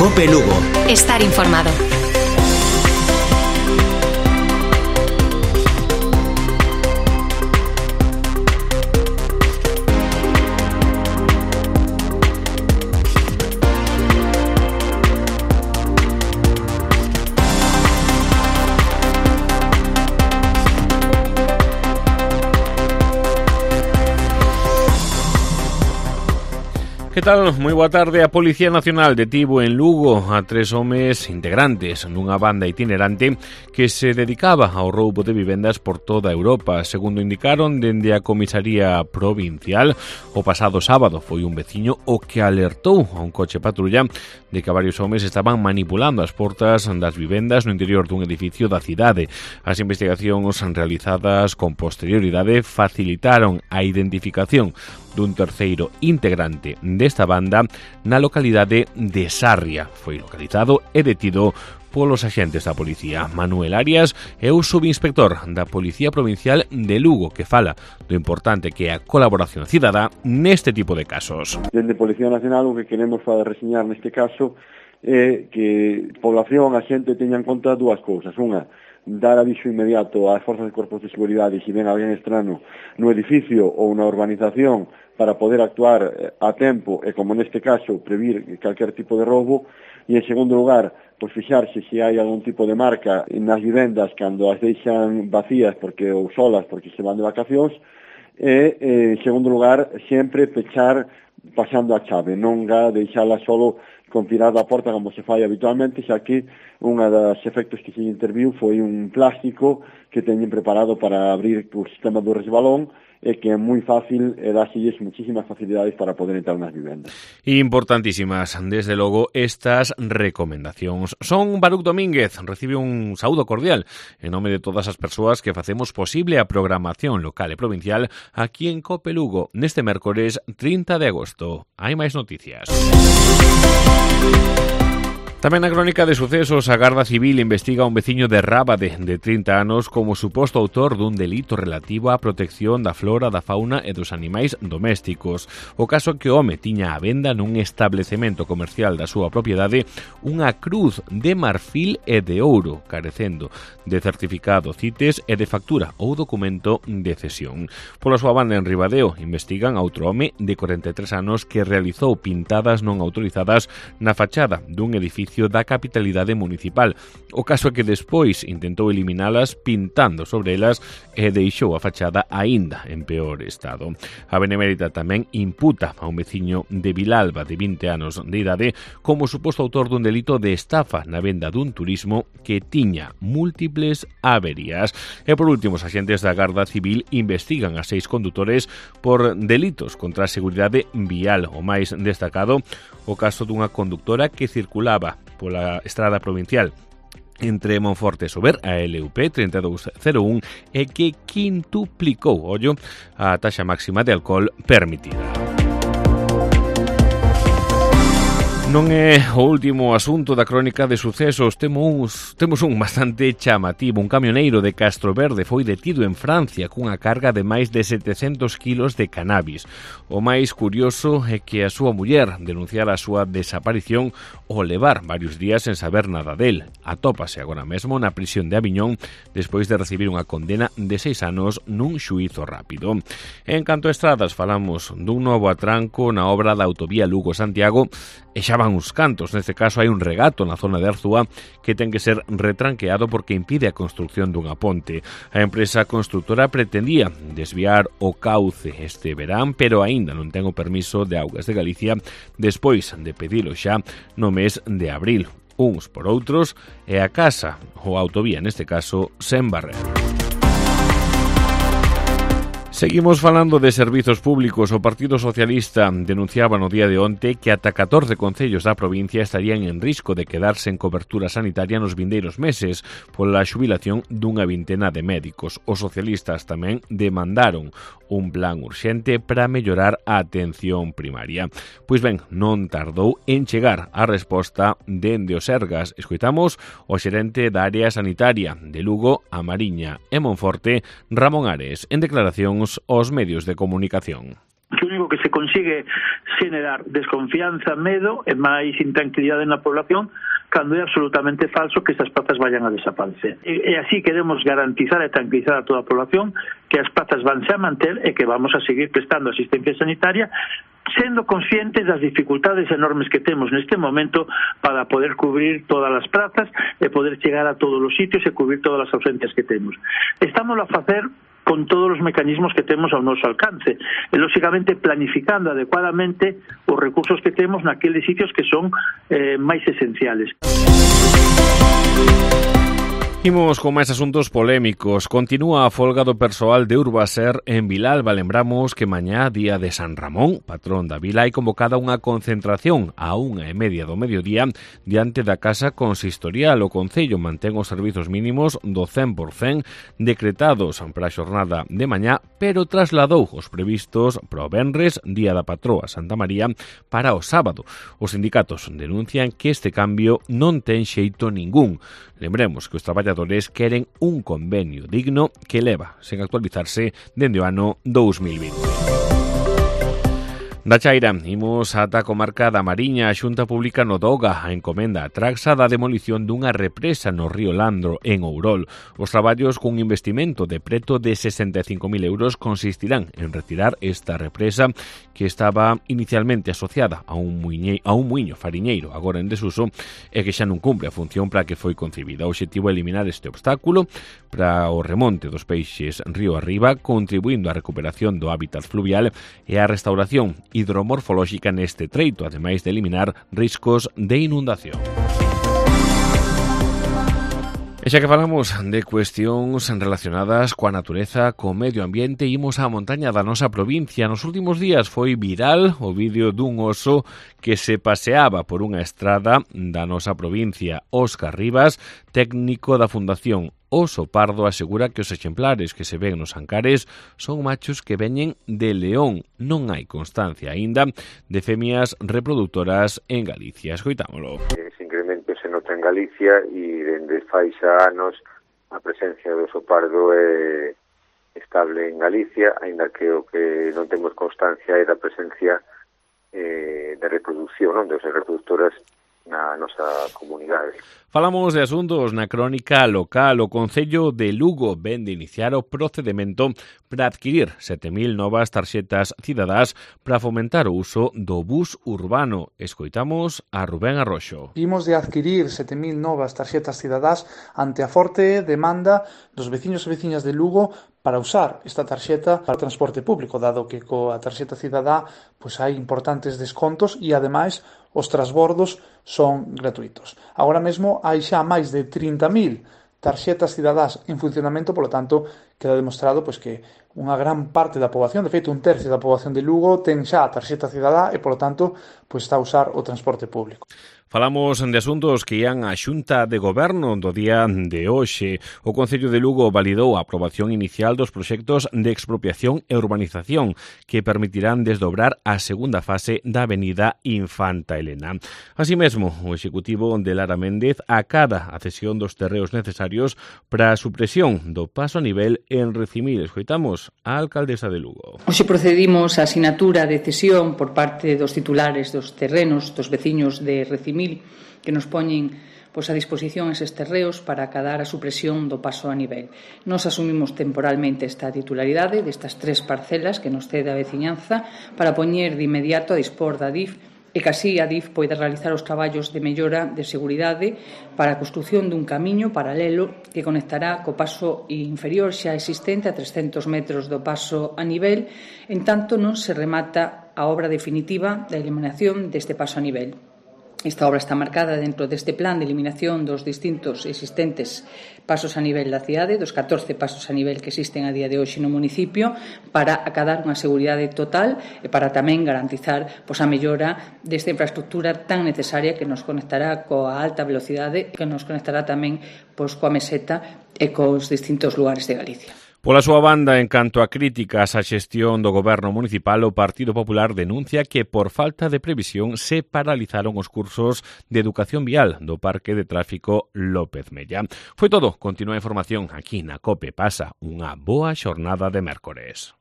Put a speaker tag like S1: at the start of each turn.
S1: COPE Lugo.
S2: Estar informado.
S3: Que tal? Moi boa tarde. A Policía Nacional detivo en Lugo a 3 homes integrantes nunha banda itinerante que se dedicaba ao roubo de vivendas por toda Europa. Segundo indicaron dende a Comisaría Provincial, o pasado sábado foi un veciño o que alertou a un coche patrulla de que varios homes estaban manipulando as portas das vivendas no interior dun edificio da cidade. As investigacións realizadas con posterioridade facilitaron a identificación dun terceiro integrante desta banda na localidade de Sarria. Foi localizado e detido polos axentes da policía. Manuel Arias é o subinspector da Policía Provincial de Lugo, que fala do importante que é a colaboración cidadá neste tipo de casos.
S4: Dende Policía Nacional o que queremos reseñar neste caso é que a población, a xente teña en conta dúas cousas. Unha, dar aviso inmediato ás forzas de corpos de seguridade se ven alguén estrano no edificio ou na urbanización para poder actuar a tempo e, como neste caso, previr calquer tipo de roubo. E, en segundo lugar, pois fixarse se hai algún tipo de marca nas vivendas cando as deixan vacías ou solas porque se van de vacacións. E, en segundo lugar, sempre pechar pasando a chave, non deixala solo con tirada a porta como se fai habitualmente, xa que unha das efectos que se interviu foi un plástico que teñen preparado para abrir o sistema do resbalón e que é moi fácil e dáselles muchísimas facilidades para poder entrar nas vivendas.
S3: Importantísimas, desde logo, estas recomendacións. Son Baruch Domínguez, recibe un saúdo cordial en nome de todas as persoas que facemos posible a programación local e provincial aquí en COPE Lugo neste mércores 30 de agosto. Hai máis noticias. Tamén na crónica de sucesos, a Garda Civil investiga a un veciño de Rábade de 30 anos como suposto autor dun delito relativo á protección da flora, da fauna e dos animais domésticos. O caso é que o home tiña á venda nun establecemento comercial da súa propiedade unha cruz de marfil e de ouro, carecendo de certificado CITES e de factura ou documento de cesión. Pola súa banda en Ribadeo investigan a outro home de 43 anos que realizou pintadas non autorizadas na fachada dun edificio da capitalidade municipal. O caso é que despois intentou eliminalas pintando sobre elas e deixou a fachada aínda en peor estado. A Benemérita tamén imputa a un veciño de Vilalba de 20 anos de idade como suposto autor dun delito de estafa na venda dun turismo que tiña múltiples averías. E por último, os axentes da Garda Civil investigan a 6 condutores por delitos contra a seguridade vial. O máis destacado, o caso dunha conductora que circulaba pola estrada provincial entre Monforte e Sober, a LUP 3201, e que quintuplicou, a taxa máxima de alcohol permitida. Non é o último asunto da crónica de sucesos. Temos un bastante chamativo. Un camioneiro de Castroverde foi detido en Francia cunha carga de máis de 700 kilos de cannabis. O máis curioso é que a súa muller denunciara a súa desaparición ao levar varios días sen saber nada del. Atópase agora mesmo na prisión de Aviñón despois de recibir unha condena de 6 anos nun xuízo rápido. En canto a estradas, falamos dun novo atranco na obra da autovía Lugo-Santiago e xa van uns cantos. Neste caso hai un regato na zona de Arzúa que ten que ser retranqueado porque impide a construción dunha ponte. A empresa constructora pretendía desviar o cauce este verán, pero aínda non ten o permiso de Augas de Galicia despois de pedilo xa no mes de abril. Uns por outros e a casa, ou a autovía neste caso, sen barrer. Seguimos falando de servizos públicos. O Partido Socialista denunciaba no día de onte que ata 14 concellos da provincia estarían en risco de quedar sen cobertura sanitaria nos vindeiros meses pola xubilación dunha vintena de médicos. Os socialistas tamén demandaron un plan urxente para mellorar a atención primaria. Pois ben, non tardou en chegar a resposta dende o Sergas. Escoitamos o xerente da área sanitaria de Lugo, A Mariña e Monforte, Ramón Ares, en declaracións aos medios de comunicación.
S5: O único
S1: que se consigue xenerar desconfianza, medo e máis intranquilidade na población, cando é absolutamente falso que estas plazas vayan a desaparecer. E así queremos garantizar e tranquilizar a toda a población que as plazas vanse a manter e que vamos a seguir prestando asistencia sanitaria, sendo conscientes das dificultades enormes que temos neste momento para poder cubrir todas as plazas e poder chegar a todos os sitios e cubrir todas as ausencias que temos. Estamos a facer con todos os mecanismos que temos ao noso alcance e, lóxicamente, planificando adecuadamente os recursos que temos naqueles sitios que son máis esenciales.
S3: Imos con máis asuntos polémicos. Continúa a folga do persoal de Urbaser en Vilalba. Lembramos que mañá, día de San Ramón, patrón da vila, hai convocada unha concentración a 1:30 do mediodía diante da Casa Consistorial. O Concello mantén os servizos mínimos do 100% decretados para a xornada de mañá, pero trasladou os previstos para o venres, día da patroa Santa María, para o sábado. Os sindicatos denuncian que este cambio non ten xeito ningún. Lembremos que os traballadores queren un convenio digno que leva sen actualizarse dende o ano 2020. Da Chaira, imos ata a comarca da Mariña. A Xunta Pública Nodoga a encomenda a Traxa da demolición dunha represa no río Landro, en Ourol. Os traballos cun investimento de preto de 65.000 euros consistirán en retirar esta represa que estaba inicialmente asociada a un muiño fariñeiro, agora en desuso, e que xa non cumpre a función para a que foi concibida. O obxectivo é eliminar este obstáculo para o remonte dos peixes río arriba, contribuindo á recuperación do hábitat fluvial e á restauración hidromorfolóxica neste treito, ademais de eliminar riscos de inundación. E xa que falamos de cuestións relacionadas coa natureza, co medio ambiente, imos á montaña da nosa provincia. Nos últimos días foi viral o vídeo dun oso que se paseaba por unha estrada da nosa provincia. Óscar Rivas, técnico da Fundación Oso Pardo, asegura que os exemplares que se ven nos Ancares son machos que veñen de León. Non hai constancia aínda de femias reproductoras en Galicia. Escoitámolo.
S2: Ese incremento se nota en Galicia e dende fai xa anos a presencia do oso pardo é estable en Galicia, aínda que o que non temos constancia é da presencia de reproducción, non, de osas reproductoras na nosa comunidade.
S3: Falamos de asuntos na crónica local. O Concello de Lugo ven de iniciar o procedimento para adquirir 7.000 novas tarxetas cidadás para fomentar o uso do bus urbano. Escoitamos a Rubén Arroxo.
S5: Imos de adquirir 7.000 novas tarxetas cidadás ante a forte demanda dos veciños e veciñas de Lugo para usar esta tarxeta para o transporte público, dado que coa tarxeta cidadá pois hai importantes descontos e, ademais, os transbordos son gratuitos. Agora mesmo hai xa máis de 30.000 tarxetas cidadás en funcionamento, polo tanto, queda demostrado pois que unha gran parte da poboación, de feito un tercio da poboación de Lugo, ten xa a tarxeta cidadá e, polo tanto, pois está a usar o transporte público.
S3: Falamos de asuntos que ian á Xunta de Goberno do día de hoxe. O Concello de Lugo validou a aprobación inicial dos proxectos de expropiación e urbanización que permitirán desdobrar a segunda fase da avenida Infanta Elena. Así mesmo, o Executivo de Lara Méndez acada a cesión dos terreos necesarios para a supresión do paso a nivel en Recimil. Escoitamos a alcaldesa de Lugo.
S6: Hoxe procedimos á sinatura de cesión por parte dos titulares dos terrenos dos veciños de Recimil que nos poñen a disposición eses terreos para acadar a supresión do paso a nivel. Nos asumimos temporalmente esta titularidade destas 3 parcelas que nos cede a veciñanza para poñer de inmediato a dispor da DIF e que así a DIF poida realizar os traballos de mellora de seguridade para a construción dun camiño paralelo que conectará co paso inferior xa existente a 300 metros do paso a nivel, en tanto non se remata a obra definitiva da eliminación deste paso a nivel. Esta obra está marcada dentro deste plan de eliminación dos distintos existentes pasos a nivel da cidade, dos 14 pasos a nivel que existen a día de hoxe no municipio, para acadar unha seguridade total e para tamén garantizar a mellora desta infraestructura tan necesaria que nos conectará coa alta velocidade e que nos conectará tamén coa meseta e cos distintos lugares de Galicia.
S3: Pola súa banda, en canto a críticas á xestión do goberno municipal, o Partido Popular denuncia que por falta de previsión se paralizaron os cursos de educación vial do Parque de Tráfico López Mella. Foi todo. Continúa a información aquí na COPE. Pasa unha boa xornada de mércores.